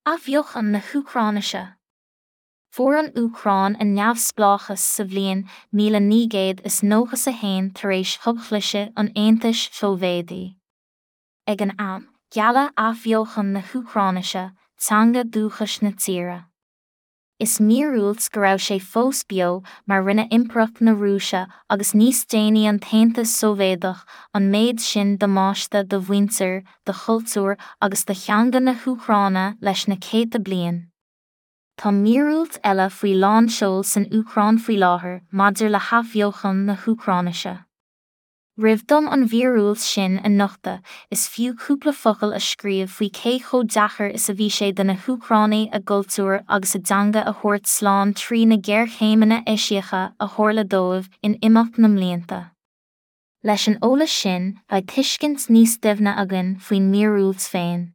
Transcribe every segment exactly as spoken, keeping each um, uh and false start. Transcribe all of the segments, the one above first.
Athbheochan na hÚcráinise. Fuair an Úcráin a neamhspleáchas sa bhliain míle naoi gcéad is nócha a haon tar éis thobchliseadh an Aontais Shóivéadaigh. Ag an am, gealladh athbheochan na hÚcráinise, teanga dúchais na tíre. Is míorúilt go raibh sé fós beo mar rinne Impireacht na Rúise agus níos déanaí an tAontas Sóivéadach an méid sin damáiste do mhuintir, do chultúr agus do theanga na hÚcráine leis na céadta bliain. Tá míorúilt eile faoi lánseol san Úcráin faoi láthair maidir le hathbheochan na hÚcráinise. Roimh dom an mhíorúilt sin a nochtadh, is fiú cúpla focal a scríobh faoi cé chomh deacair is a bhí sé do na hÚcránaigh a gcultúr agus a dteanga a thabhairt slán trí na géarchéimeanna eisiacha a tharla dóibh in imeacht na mblianta. Leis an eolas sin, beidh tuiscint níos doimhne againn faoin míorúilt féin.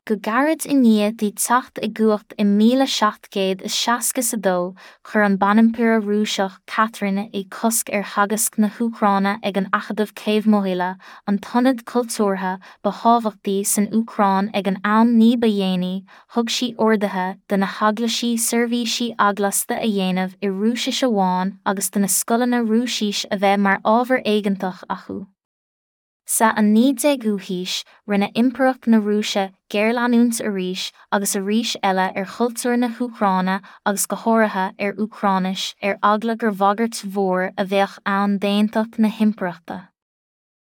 Go gairid i ndiaidh di teacht i gcumhacht i míle seacht gcéad is seasca a dó, chuir an banimpire Rúiseach Catherine I cosc ar theagasc na hÚcráine ag an Acadamh Kyiv-Mohyla, an t-ionad cultúrtha ba thábhachtaí san Úcráin ag an am ní ba dhéanaí, thug sí orduithe do na heaglaisí seirbhísí eaglasta a dhéanamh i Rúisis amháin agus do na scoileanna Rúisis a bheith mar ábhar éigeantach acu. Sa an naoi déagú haois, rinne Impireacht na Rúise géarleanúint arís agus arís eile ar chultúr na hÚcráine agus go háirithe ar Úcráinis ar eagla gur bhagairt mhór a bheadh ann d'aontacht na himpireachta.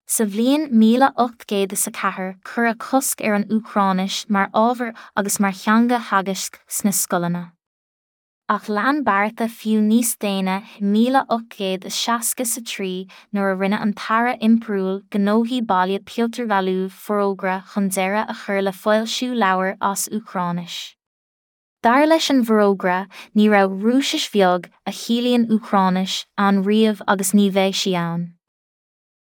Sa bhliain míle ocht gcéad is a ceathair cuireadh cosc ar an Úcráinis mar ábhar agus mar theanga theagaisc sna scoileanna. Ach lean bearta fiú níos déine míle ocht gcéad is seasca a trí nuair a rinne an tAire Impiriúil Gnóthaí Baile Piotr Valuev forógra chun deireadh a chur le foilsiú leabhar as Úcráinis. Dar leis an bhforógra, ní raibh Rúisis bheag, a chiallaíonn Úcráinis, ann riamh agus ní bheidh sí ann.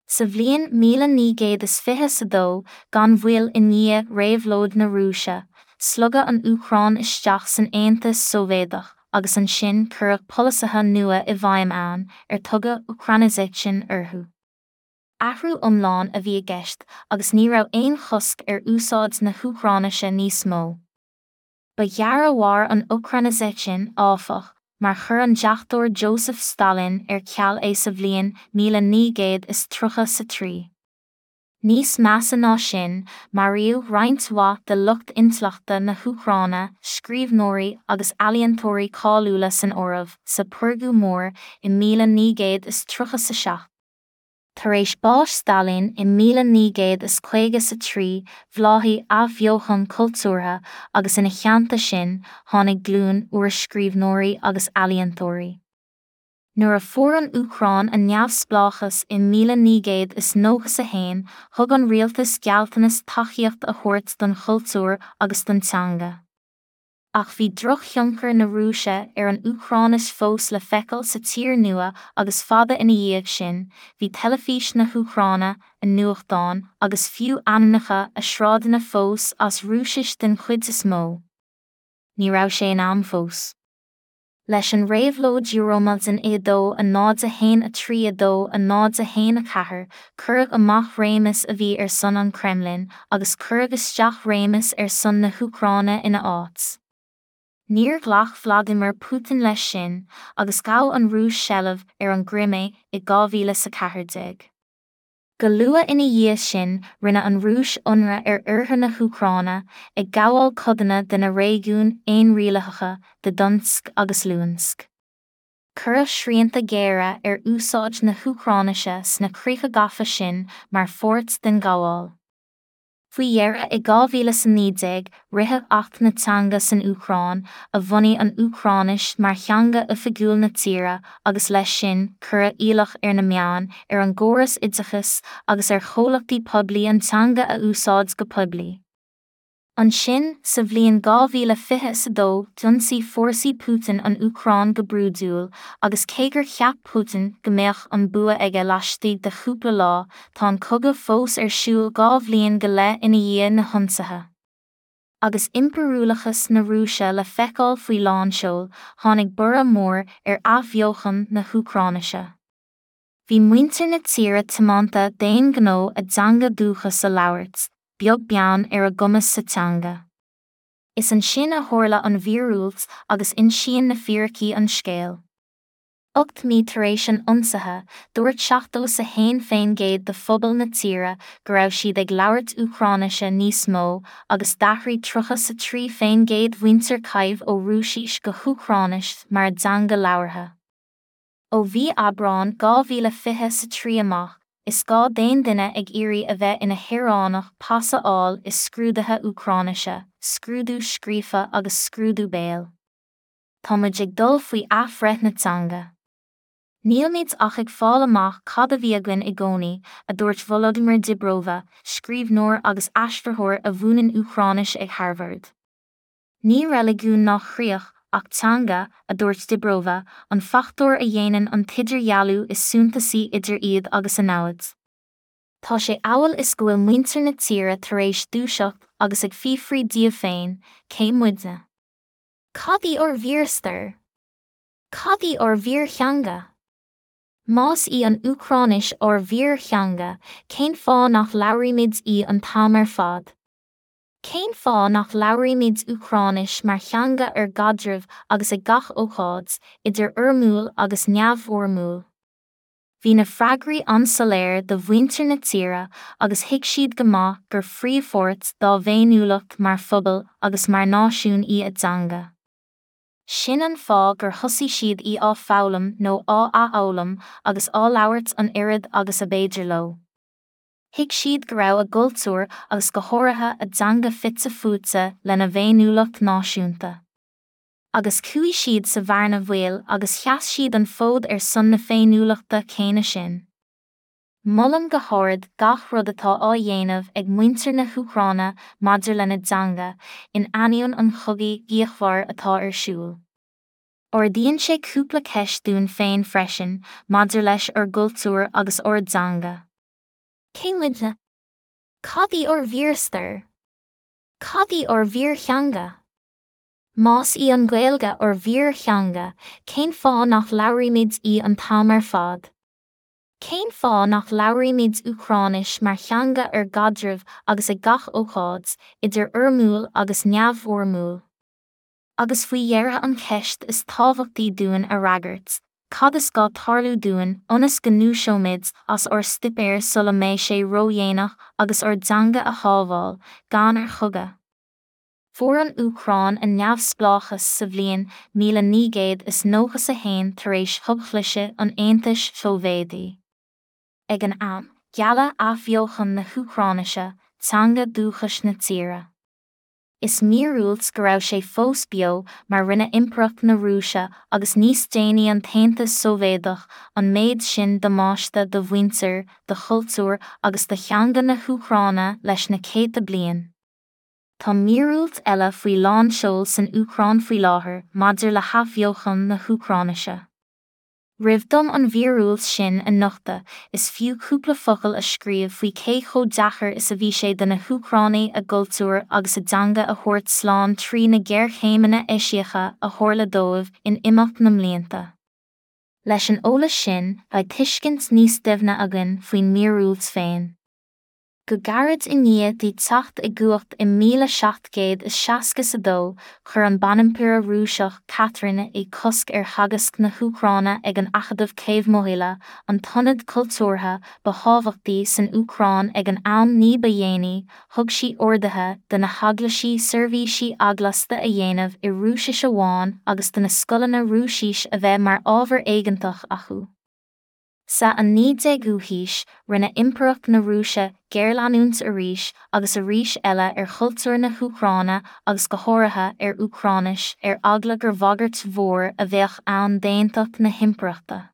Sa bhliain míle naoi gcéad is fiche a dó, gan mhoill i ndiaidh réabhlóid na Rúise, slogadh an Úcráin isteach san Aontas Sóivéadach agus ansin cuireadh polasaithe nua i bhfeidhm ann ar tugadh Ukrainization orthu. Athrú iomlán a bhí i gceist agus ní raibh aon chosc ar úsáid na hÚcráinise níos mó. Ba ghearr a mhair an Ukrainization, áfach, mar chuir an deachtóir Joseph Stalin ar ceal é sa bhliain míle naoi gcéad is tríocha sa trí. Níos measa ná sin, maraíodh roinnt mhaith de lucht intleachta na hÚcráine, scríbhneoirí agus ealaíontóirí cáiliúla san áireamh, sa Purgú Mór i míle naoi gcéad is tríocha sa seacht. Tar éis báis Stalin i míle naoi gcéad is caoga sa trí, bhláthaigh athbheochan cultúrtha agus ina theannta sin tháinig glúin úr scríbhneoirí agus ealaíontóirí. Nuair a fuair an Úcráin a neamhspleáchas i míle naoi gcéad is nócha a haon, thug an rialtas gealltanas tacaíocht a thabhairt don chultúr agus don teanga. Ach bhí drochthionchar na Rúise ar an Úcráinis fós le feiceáil sa tír nua agus fada ina dhiaidh sin, bhí teilifís na hÚcráine, a nuachtáin agus fiú ainmneacha a sráideanna fós as Rúisis den chuid is mó. Ní raibh sé in am fós. Leis an réabhlóid Euromaidan i dó a náid a haon a trí a dó a náid a haon a ceathair, cuireadh amach réimeas a bhí ar son an Kremlin agus cuireadh isteach réimeas ar son na hÚcráine ina áit. Níor ghlac Vladimir Putin leis sin agus ghabh an Rúis seilbh ar an gCrimé i dhá mhíle sa ceathair déag. Go luath ina dhiaidh sin rinne an Rúis ionradh ar oirthear na hÚcráine, ag gabháil codanna de na réigiúin aonrialaitheacha de Donetsk agus Luhansk. Cuireadh srianta géara ar úsáid na hÚcráinise sna críocha gafa sin mar pháirt den ghabháil. Faoi dheireadh i dhá mhíle sa naoi déag, ritheadh Acht na Teanga san Úcráin, a bhunaigh an Úcráinis mar theanga oifigiúil na tíre agus leis sin cuireadh iallach ar na meáin, ar an gcóras oideachais agus ar chomhlachtaí poiblí an teanga a úsáid go poiblí. Ansin, sa bhliain dhá mhíle fiche a dó, d'ionsaigh fórsaí Putin an Úcráin go brúidiúil, agus cé gur cheap Putin go mbeadh an bua aige laistigh de chúpla lá, tá an cogadh fós ar siúl dhá bhliain go leith ina dhiaidh na hionsaithe. Agus impiriúlachas na Rúise le feiceáil faoi lánseol, tháinig borradh mór ar athbheochan na hÚcráinise. Bhí muintir na tíre tiomanta d'aon ghnó a dteanga dúchas a labhairt, beag beann ar a gcumas sa teanga. Is ansin a tharla an mhíorúilt agus insíonn na fíricí an scéal. Ocht mí tar éis an ionsaithe, dúirt seachtó is a haon faoin gcéad de phobal na tíre go raibh siad ag labhairt Úcráinise níos mó agus d'athraigh tríocha is a trí faoin gcéad mhuintir Kyiv ó Rúisis go hÚcráinis mar a dteanga labhartha. Ó mhí Aibreáin dhá mhíle fiche is a trí amach, is gá d'aon duine ag iarraidh a bheith ina shaoránach pas a fháil i scrúduithe Úcráinise, scrúdú scríofa agus scrúdú béil. Tá muid ag dul faoi athbhreith na teanga. Nílimid ach ag fáil amach cad a bhí againn i gcónaí, a dúirt Volodymyr Dibrova, scríbhneoir agus aistritheoir a mhúineann Úcráinis ag Harvard. Ní reiligiún ná críoch, ach teanga, a dúirt Dibrova, an fachtóir a dhéanann an t-idirdhealú is suntasaí idir iad agus a namhaid. Tá sé amhail is go bhfuil muintir na tíre tar éis dúiseacht agus ag fiafraí díobh féin, cé muidne? Cad í ár bhfíorstair? Cad í ár bhfíortheanga? Más í an Úcráinis ár bhfíortheanga, cén fáth nach labhraímid í an t-am ar fad? Cén fáth nach labhraímid Úcráinis mar theanga ar gcaidreamh agus ag gach ócáid, idir fhoirmiúil agus neamhfhoirmiúil? Bhí na freagraí an-soiléir do mhuintir na tíre agus thuig siad go maith gur phríomhpháirt dá bhféiniúlacht mar phobal agus mar náisiún í a dteanga. Sin an fáth gur thosaigh siad í á foghlaim nó á athfhoghlaim agus á labhairt an oiread agus ab fhéidir leo. Thuig siad go raibh a gcultúr agus go háirithe a dteanga fite fuaite lena bhféiniúlacht náisiúnta. Agus chuaigh siad sa bhearna bhaoil agus sheas siad an fód ar son na féiniúlachta céanna sin. Molaim go hard gach rud atá á dhéanamh ag muintir na hÚcráine maidir lena dteanga, in ainneoin an chogaidh fhíochmhair atá ar siúl. Ardaíonn sé cúpla ceist dúinn féin freisin maidir leis ár gcultúr agus ár dteanga. Cé muidne? Cad í ár bhfíorstair? Cad í ár bhfíortheanga? Más í an Ghaeilge ár bhfíortheanga, cén fáth nach labhraímid í an t-am ar fad? Cén fáth nach labhraímid Úcráinis mar theanga ar gcaidreamh agus ag gach ócáid, idir fhoirmiúil agus neamhfhoirmiúil? Agus faoi dheireadh an cheist is tábhachtaí dúinn a fhreagairt, cad is gá tarlú dúinn ionas go ndúiseoimid as ár stuipéir sula mbeidh sé ródhéanach agus ár dteanga a shábháil, gan ar chogadh? Fuair an Úcráin a neamhspleáchas sa bhliain míle naoi gcéad is nócha a haon tar éis thobchliseadh an Aontais Shóivéadaigh. Ag an am, gealladh athbheochan na hÚcráinise, teanga dúchais na tíre. Is míorúilt go raibh sé fós beo mar rinne Impireacht na Rúise agus níos déanaí an tAontas Sóivéadach an méid sin damáiste do mhuintir, do chultúr agus do theanga na hÚcráine leis na céadta bliain. Tá míorúilt eile faoi lánseol san Úcráin faoi láthair maidir le hathbheochan na hÚcráinise. Roimh dom an mhíorúilt sin a nochtadh, is fiú cúpla focal a scríobh faoi cé chomh deacair is a bhí sé do na hÚcránaigh a gcultúr agus a dteanga a thabhairt slán trí na géarchéimeanna eisiacha a tharla dóibh in imeacht na mblianta. Leis an eolas sin, beidh tuiscint níos doimhne againn faoin míorúilt féin. Go gairid i ndiaidh di teacht i gcumhacht i míle seacht gcéad is seasca a dó, chuir an banimpire Rúiseach Catherine I cosc ar theagasc na hÚcráine ag an Acadamh Kyiv-Mohyla, an t-ionad cultúrtha ba thábhachtaí san Úcráin ag an am ní ba dhéanaí, thug sí orduithe do na heaglaisí seirbhísí eaglasta a dhéanamh i Rúisis amháin agus do na scoileanna Rúisis a bheith mar ábhar éigeantach acu. Sa an naoi déagú haois, rinne Impireacht na Rúise géarleanúint arís agus arís eile ar chultúr na hÚcráine agus go háirithe ar Úcráinis ar eagla gur bhagairt mhór a bheadh ann d'aontacht na himpireachta.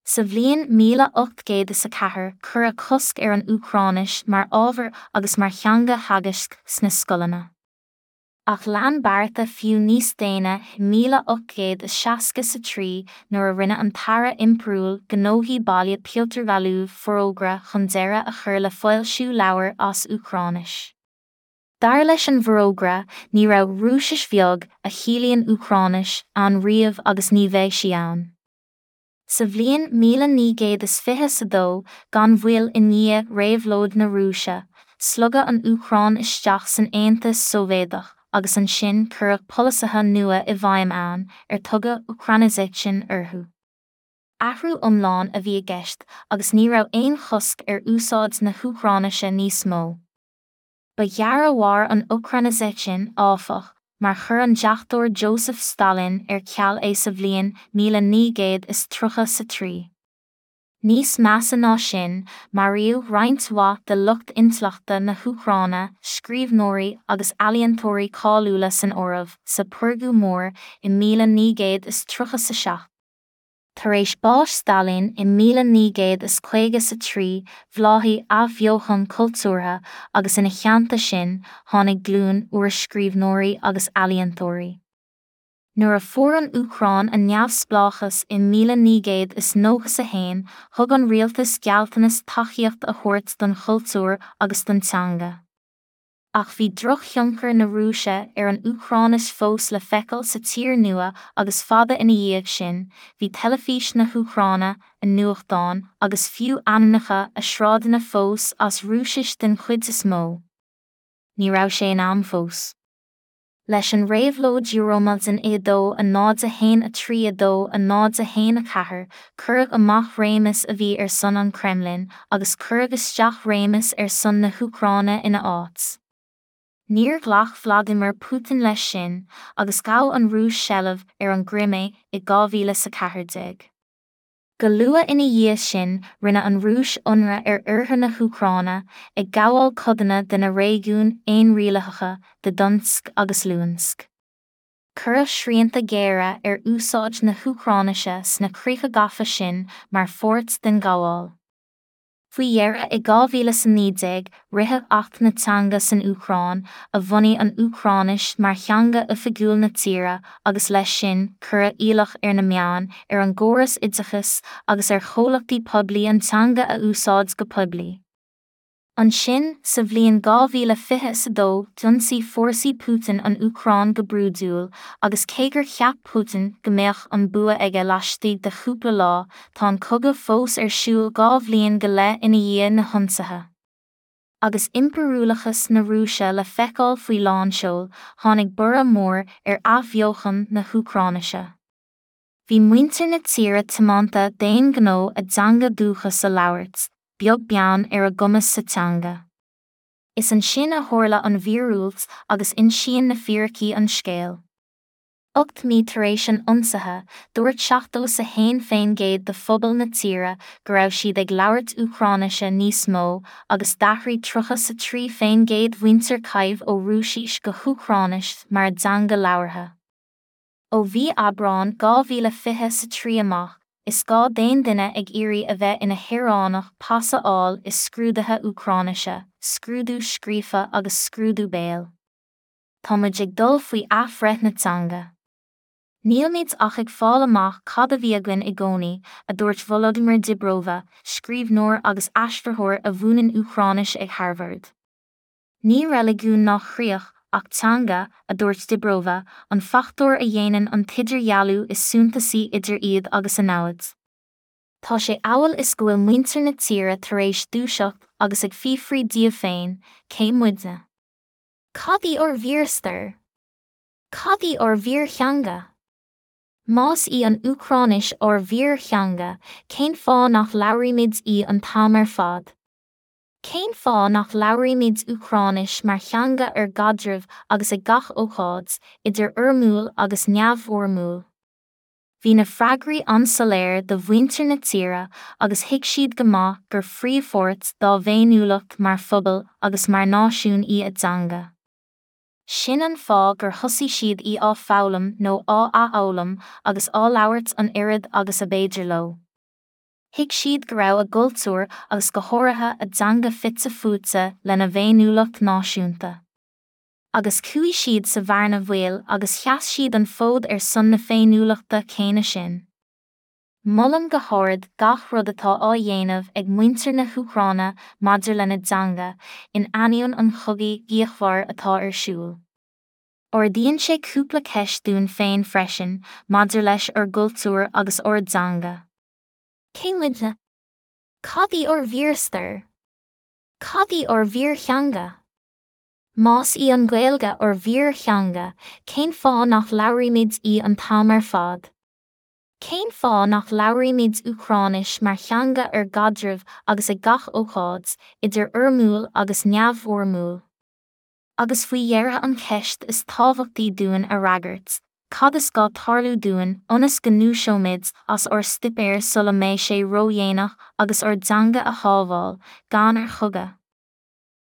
Sa bhliain míle ocht gcéad is a ceathair cuireadh cosc ar an Úcráinis mar ábhar agus mar theanga theagaisc sna scoileanna. Ach lean bearta fiú níos déine i míle ocht gcéad is seasca a trí nuair a rinne an tAire Impiriúil Gnóthaí Baile Piotr Valuev forógra chun deireadh a chur le foilsiú leabhar as Úcráinis. Dar leis an bhforógra, ní raibh Rúisis bheag, a chiallaíonn Úcráinis, ann riamh agus ní bheidh sí ann. Sa bhliain míle naoi gcéad is fiche a dó, gan mhoill i ndiaidh réabhlóid na Rúise, slogadh an Úcráin isteach san Aontas Sóivéadach agus ansin cuireadh polasaithe nua i bhfeidhm ann ar tugadh Ukrainization orthu. Athrú iomlán a bhí i gceist agus ní raibh aon chosc ar úsáid na hÚcráinise níos mó. Ba ghearr a mhair an Ukrainization, áfach, mar chuir an deachtóir Joseph Stalin ar ceal é sa bhliain míle naoi gcéad is tríocha a trí. Níos measa ná sin, maraíodh roinnt mhaith de lucht intleachta na hÚcráine, scríbhneoirí agus ealaíontóirí cáiliúla san áireamh, sa Phurgú Mór i míle naoi gcéad is tríocha a seacht. Tar éis báis Stalin i míle naoi gcéad is caoga a trí, bhláthaigh athbheochan cultúrtha agus ina theannta sin tháinig glúin úr scríbhneoirí agus ealaíontóirí. Nuair a fuair an Úcráin a neamhspleáchas i míle naoi gcéad is nócha a haon, thug an rialtas gealltanas tacaíocht a thabhairt don chultúr agus don teanga. Ach bhí drochthionchar na Rúise ar an Úcráinis fós le feiceáil sa tír nua agus fada ina dhiaidh sin, bhí teilifís na hÚcráine, a nuachtáin agus fiú ainmneacha a sráideanna fós as Rúisis den chuid is mó. Ní raibh sé in am fós. Leis an réabhlóid Euromaidan i dó a náid a haon a trí a dó a náid a haon a ceathair, cuireadh amach réimeas a bhí ar son an Kremlin agus cuireadh isteach réimeas ar son na hÚcráine ina áit. Níor ghlac Vladimir Putin leis sin, agus ghabh an Rúis seilbh ar an gCrimé i dhá mhíle is a ceathair déag. Go luath ina dhiaidh sin rinne an Rúis ionradh ar oirthear na hÚcráine, ag gabháil codanna de na réigiúin fhéinrialaitheacha de Donetsk agus Luhansk. Cuireadh srianta géara ar úsáid na hÚcráinise sna críocha gafa sin mar pháirt den ghabháil. Faoi dheireadh i dhá mhíle is a naoi déag, ritheadh Acht na Teanga san Úcráin, a bhunaigh an Úcráinis mar theanga oifigiúil na tíre agus leis sin cuireadh iallach ar na meáin, ar an gcóras oideachais agus ar chomhlachtaí poiblí an teanga a úsáid go poiblí. Ansin, sa bhliain dhá mhíle fiche a dó, d'ionsaigh fórsaí Putin an Úcráin go brúidiúil, agus cé gur cheap Putin go mbeadh an bua aige laistigh de chúpla lá, tá an cogadh fós ar siúl dhá bhliain go leith ina dhiaidh na hionsaithe. Agus impiriúlachas na Rúise le feiceáil faoi lánseol, tháinig borradh mór ar athbheochan na hÚcráinise. Bhí muintir na tíre tiomanta d'aon ghnó a dteanga dúchas a labhairt, beag beann ar a gcumas sa teanga. Is ansin a tharla an mhíorúilt agus insíonn na fíricí an scéal. Ocht mí tar éis an ionsaithe, dúirt seachtó a haon faoin gcéad de phobal na tíre go raibh siad ag labhairt Úcráinise níos mó agus d'athraigh tríocha a trí faoin gcéad mhuintir Kyiv ó Rúisis go hÚcráinis mar a dteanga labhartha. Ó mhí Aibreán dhá mhíle fiche a trí amach, is gá d'aon duine ag iarraidh a bheith ina shaoránach pas a fháil i scrúduithe Úcráinise, scrúdú scríofa agus scrúdú béil. Táimid ag dul faoi athbhreith na teanga. Nílmid ach ag fáil amach cad a bhí againn i gcónaí, a dúirt Volodymyr Dibrova, scríbhneoir agus aistritheoir a mhúineann Úcráinis ag Harvard. Ní reiligiún ná críoch ach teanga, a dúirt Dibrova, an fachtóir a dhéanann an t-idirdhealú is suntasaí idir iad agus a namhaid. Tá sé amhail is go bhfuil muintir na tíre tar éis dúiseacht agus ag fiafraí díobh féin, cé muidne? Cad í ár bhfíorstair? Cad í ár bhfíortheanga? Más í an Úcráinis ár bhfíortheanga, cén fáth nach labhraímid í an t-am ar fad? Cén fáth nach labhraímid Úcráinis mar theanga ar gcaidreamh agus ag gach ócáid, idir fhoirmiúil agus neamhfhoirmiúil? Bhí na freagraí an-soiléir do mhuintir na tíre agus thuig siad go maith gur phríomhpháirt dá bhféiniúlacht mar phobal agus mar náisiún í a dteanga. Sin an fáth gur thosaigh siad í á foghlaim nó á athfhoghlaim agus á labhairt an oiread agus a b'fhéidir leo. Thuig siad go raibh a gcultúr agus go háirithe a dteanga fite fuaite lena bhféiniúlacht náisiúnta. Agus chuaigh siad sa bhearna bhaoil agus sheas siad an fód ar son na féiniúlachta céanna sin. Molaim go hard gach rud atá á dhéanamh ag muintir na hÚcráine maidir lena dteanga, in ainneoin an chogaidh fhíochmhair atá ar siúl. Ardaíonn sé cúpla ceist dúinn féin freisin maidir leis ár gcultúr agus ár dteanga. Cé muidne? Cad í ár bhfíorstair? Cad í ár bhfíortheanga? Más í an Ghaeilge ár bhfíortheanga, cén fáth nach labhraímid í an t-am ar fad? Cén fáth nach labhraímid Úcráinis mar theanga ár gcaidrimh agus ag gach ócáid, idir fhoirmiúil agus neamhfhoirmiúil? Agus faoi dheireadh an cheist is tábhachtaí dúinn a fhreagairt, cad is gá tarlú dúinn ionas go ndúiseoimid as ár suipéar sula mbeidh sé ródhéanach agus ár dteanga a shábháil, gan ar chogadh?